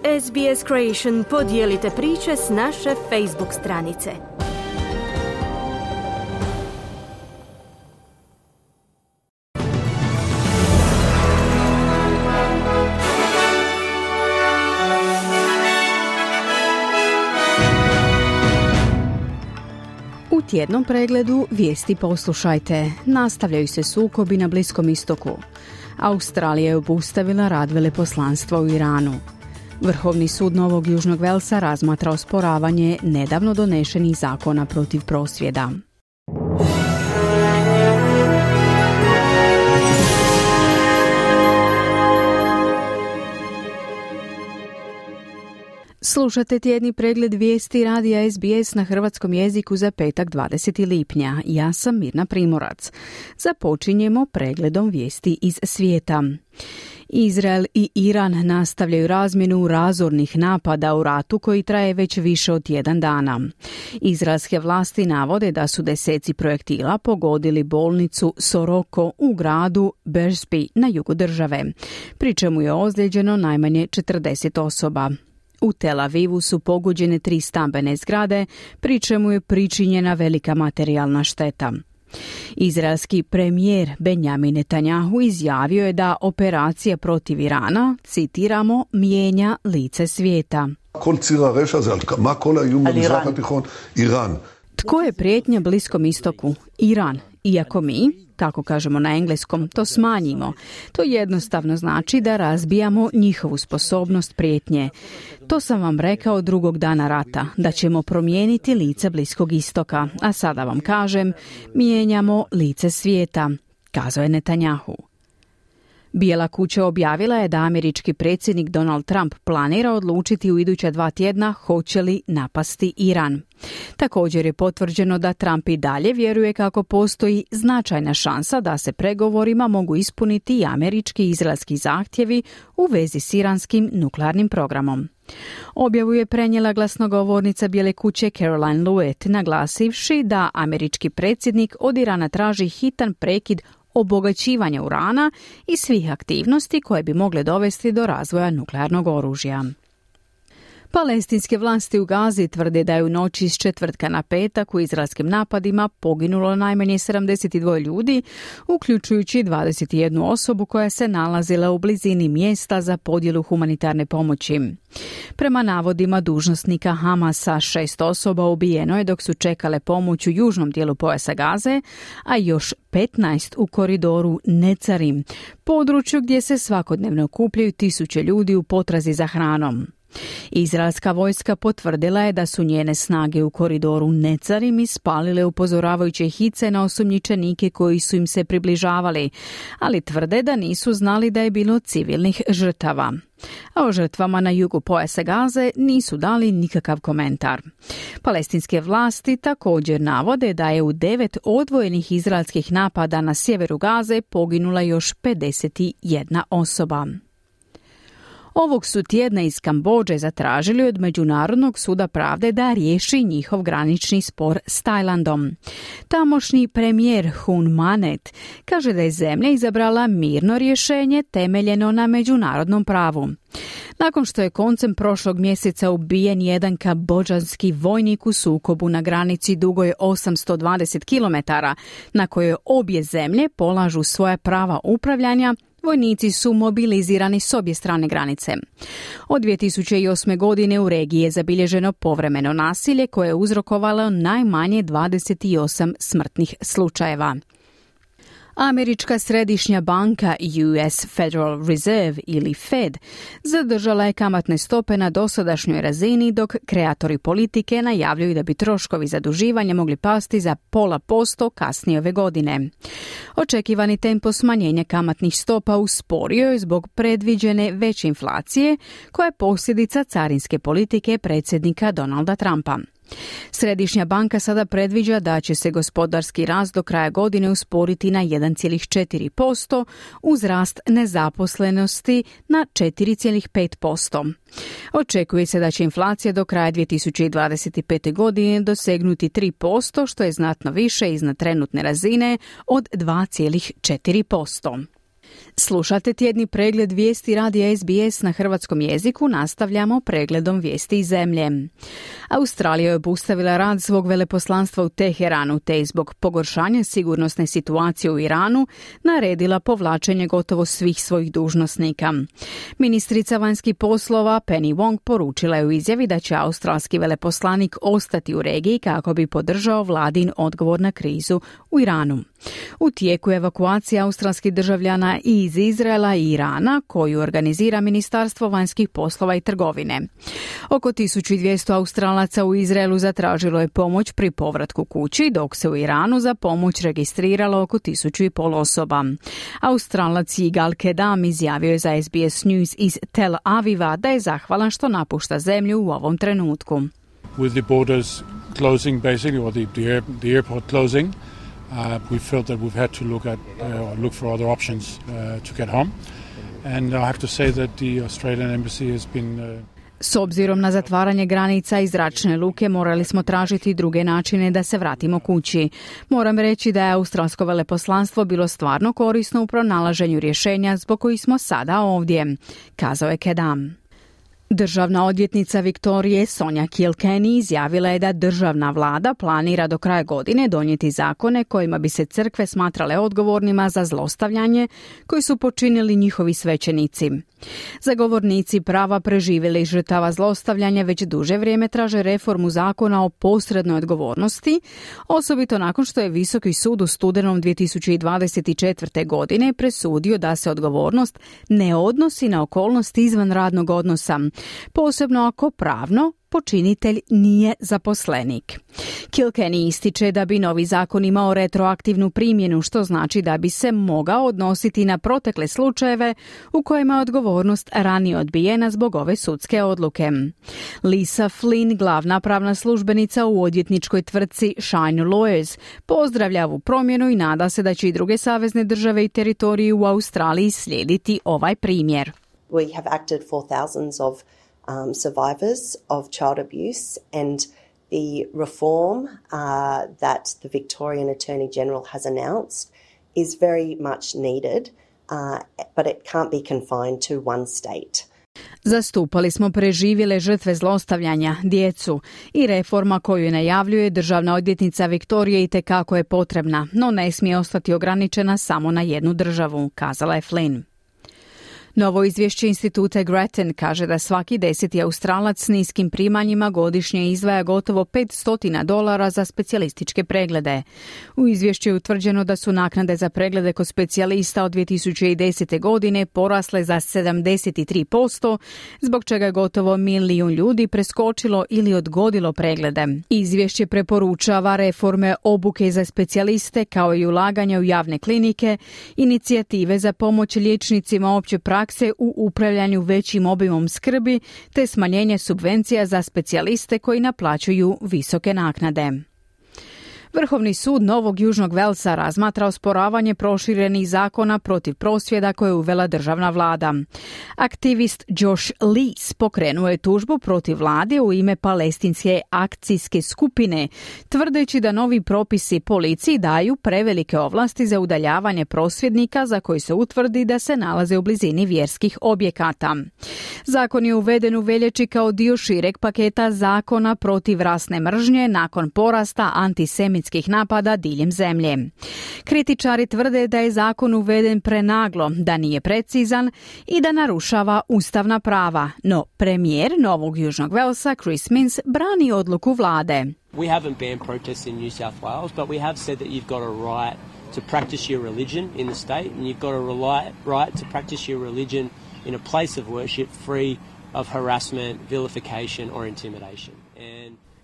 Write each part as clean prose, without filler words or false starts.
SBS Creation, podijelite priče s naše Facebook stranice. U tjednom pregledu vijesti poslušajte. Nastavljaju se sukobi na Bliskom istoku. Australija je obustavila rad veleposlanstva u Iranu. Vrhovni sud Novog Južnog Velsa razmatra osporavanje nedavno donešenih zakona protiv prosvjeda. Slušate tjedni pregled vijesti radija SBS na hrvatskom jeziku za petak 20. lipnja. Ja sam Mirna Primorac. Započinjemo pregledom vijesti iz svijeta. Izrael i Iran nastavljaju razmjenu razornih napada u ratu koji traje već više od tjedan dana. Izraelske vlasti navode da su deseci projektila pogodili bolnicu Soroko u gradu Beersby na jugu države, pri čemu je ozlijeđeno najmanje 40 osoba. U Tel Avivu su pogođene 3 stambene zgrade, pri čemu je pričinjena velika materijalna šteta. Izraelski premijer Benjamin Netanjahu izjavio je da operacija protiv Irana, citiramo, mijenja lice svijeta. Tko je prijetnja Bliskom istoku? Iran. Iako mi, kako kažemo na engleskom, to smanjimo, to jednostavno znači da razbijamo njihovu sposobnost prijetnje. To sam vam rekao drugog dana rata, da ćemo promijeniti lice Bliskog istoka, a sada vam kažem, mijenjamo lice svijeta, kazao je Netanjahu. Bijela kuća objavila je da američki predsjednik Donald Trump planira odlučiti u iduća 2 tjedna hoće li napasti Iran. Također je potvrđeno da Trump i dalje vjeruje kako postoji značajna šansa da se pregovorima mogu ispuniti i američki i izraelski zahtjevi u vezi s iranskim nuklearnim programom. Objavu je prenijela glasnogovornica Bijele kuće Caroline Lewitt, naglasivši da američki predsjednik od Irana traži hitan prekid obogaćivanja urana i svih aktivnosti koje bi mogle dovesti do razvoja nuklearnog oružja. Palestinske vlasti u Gazi tvrde da je u noći s četvrtka na petak u izraelskim napadima poginulo najmanje 72 ljudi, uključujući 21 osobu koja se nalazila u blizini mjesta za podjelu humanitarne pomoći. Prema navodima dužnosnika Hamasa, 6 osoba ubijeno je dok su čekale pomoć u južnom dijelu pojasa Gaze, a još 15 u koridoru Necarim, području gdje se svakodnevno okupljaju tisuće ljudi u potrazi za hranom. Izraelska vojska potvrdila je da su njene snage u koridoru Necarim ispalile upozoravajuće hice na osumnjičenike koji su im se približavali, ali tvrde da nisu znali da je bilo civilnih žrtava. A o žrtvama na jugu pojasa Gaze nisu dali nikakav komentar. Palestinske vlasti također navode da je u 9 odvojenih izraelskih napada na sjeveru Gaze poginula još 51 osoba. Ovog su tjedna iz Kambodže zatražili od Međunarodnog suda pravde da riješi njihov granični spor s Tajlandom. Tamošnji premijer Hun Manet kaže da je zemlja izabrala mirno rješenje temeljeno na međunarodnom pravu. Nakon što je koncem prošlog mjeseca ubijen jedan kambodžanski vojnik u sukobu na granici dugoj 820 km, na kojoj obje zemlje polažu svoja prava upravljanja, vojnici su mobilizirani s obje strane granice. Od 2008. godine u regiji je zabilježeno povremeno nasilje koje je uzrokovalo najmanje 28 smrtnih slučajeva. Američka središnja banka US Federal Reserve ili Fed zadržala je kamatne stope na dosadašnjoj razini dok kreatori politike najavljuju da bi troškovi zaduživanja mogli pasti za 0,5% kasnije ove godine. Očekivani tempo smanjenja kamatnih stopa usporio je zbog predviđene veće inflacije koja je posljedica carinske politike predsjednika Donalda Trumpa. Središnja banka sada predviđa da će se gospodarski rast do kraja godine usporiti na 1,4% uz rast nezaposlenosti na 4,5%. Očekuje se da će inflacija do kraja 2025. godine dosegnuti 3%, što je znatno više iznad trenutne razine od 2,4%. Slušate tjedni pregled vijesti radija SBS na hrvatskom jeziku, nastavljamo pregledom vijesti iz zemlje. Australija je obustavila rad svog veleposlanstva u Teheranu te zbog pogoršanja sigurnosne situacije u Iranu naredila povlačenje gotovo svih svojih dužnosnika. Ministrica vanjskih poslova Penny Wong poručila je u izjavi da će australski veleposlanik ostati u regiji kako bi podržao vladin odgovor na krizu u Iranu. U tijeku je evakuacija australskih državljana i iz Izraela i Irana, koju organizira Ministarstvo vanjskih poslova i trgovine. Oko 1200 Australaca u Izraelu zatražilo je pomoć pri povratku kući, dok se u Iranu za pomoć registriralo oko 1500 osoba. Australac Yigal Kedam izjavio je za SBS News iz Tel Aviva da je zahvalan što napušta zemlju u ovom trenutku. With the borders closing basically, or the airport closing, we felt that we've had to look for other options to get home. And I have to say that the Australian embassy has been S obzirom na zatvaranje granica i zračne luke morali smo tražiti druge načine da se vratimo kući. Moram reći da je australsko veleposlanstvo bilo stvarno korisno u pronalaženju rješenja zbog kojih smo sada ovdje, kazao je Kedam. Državna odvjetnica Viktorije Sonja Kilkenny izjavila je da državna vlada planira do kraja godine donijeti zakone kojima bi se crkve smatrale odgovornima za zlostavljanje koji su počinili njihovi svećenici. Zagovornici prava preživjeli žrtava zlostavljanja već duže vrijeme traže reformu zakona o posrednoj odgovornosti, osobito nakon što je Visoki sud u studenom 2024. godine presudio da se odgovornost ne odnosi na okolnosti izvan radnog odnosa, posebno ako pravno počinitelj nije zaposlenik. Kilkenny ističe da bi novi zakon imao retroaktivnu primjenu, što znači da bi se mogao odnositi na protekle slučajeve u kojima je odgovornost ranije odbijena zbog ove sudske odluke. Lisa Flynn, glavna pravna službenica u odvjetničkoj tvrtci Shine Lawyers, pozdravlja ovu promjenu i nada se da će i druge savezne države i teritoriji u Australiji slijediti ovaj primjer. We have acted for thousands of survivors of child abuse, and the reform that the Victorian Attorney General has announced is very much needed, but it can't be confined to one state. Zastupali smo preživjele žrtve zlostavljanja, djecu, i reforma koju najavljuje državna odvjetnica Viktorije itekako je potrebna, no ne smije ostati ograničena samo na jednu državu, kazala je Flynn. Novo izvješće instituta Grattan kaže da svaki 10. Australac s niskim primanjima godišnje izdvaja gotovo $500 za specijalističke preglede. U izvješću je utvrđeno da su naknade za preglede kod specijalista od 2010. godine porasle za 73%, zbog čega je gotovo 1 milijun ljudi preskočilo ili odgodilo preglede. Izvješće preporučava reforme obuke za specijaliste kao i ulaganja u javne klinike, inicijative za pomoć liječnicima opće prakse u upravljanju većim obimom skrbi te smanjenje subvencija za specijaliste koji naplaćuju visoke naknade. Vrhovni sud Novog Južnog Velsa razmatra osporavanje proširenih zakona protiv prosvjeda koje je uvela državna vlada. Aktivist Josh Lees pokrenuo je tužbu protiv vlade u ime palestinske akcijske skupine, tvrdeći da novi propisi policiji daju prevelike ovlasti za udaljavanje prosvjednika za koji se utvrdi da se nalaze u blizini vjerskih objekata. Zakon je uveden u veljači kao dio šireg paketa zakona protiv rasne mržnje nakon porasta antisemitskih napada diljem zemlje. Kritičari tvrde da je zakon uveden prenaglo, da nije precizan i da narušava ustavna prava, no premijer Novog Južnog Velsa Chris Minns brani odluku vlade. We haven't banned protests in New South Wales, but we have said that you've got a right to practice your religion in the state, and you've got a right to practice your religion in a place of worship free of harassment, vilification or intimidation.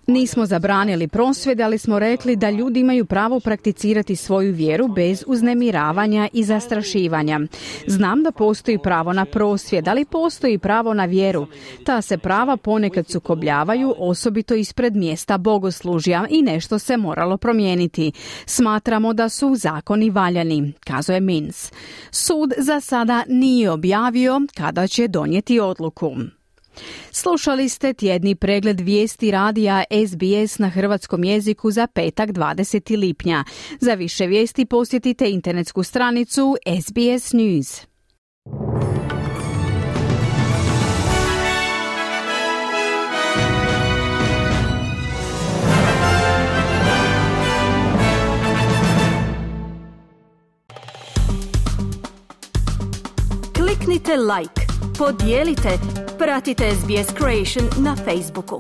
Nismo zabranili prosvjede, ali smo rekli da ljudi imaju pravo prakticirati svoju vjeru bez uznemiravanja i zastrašivanja. Znam da postoji pravo na prosvjed, ali postoji pravo na vjeru. Ta se prava ponekad sukobljavaju, osobito ispred mjesta bogoslužja, i nešto se moralo promijeniti. Smatramo da su zakoni valjani, kazuje Minns. Sud za sada nije objavio kada će donijeti odluku. Slušali ste tjedni pregled vijesti radija SBS na hrvatskom jeziku za petak 20. lipnja. Za više vijesti posjetite internetsku stranicu SBS News. Kliknite like, podijelite, pratite SBS Creation na Facebooku.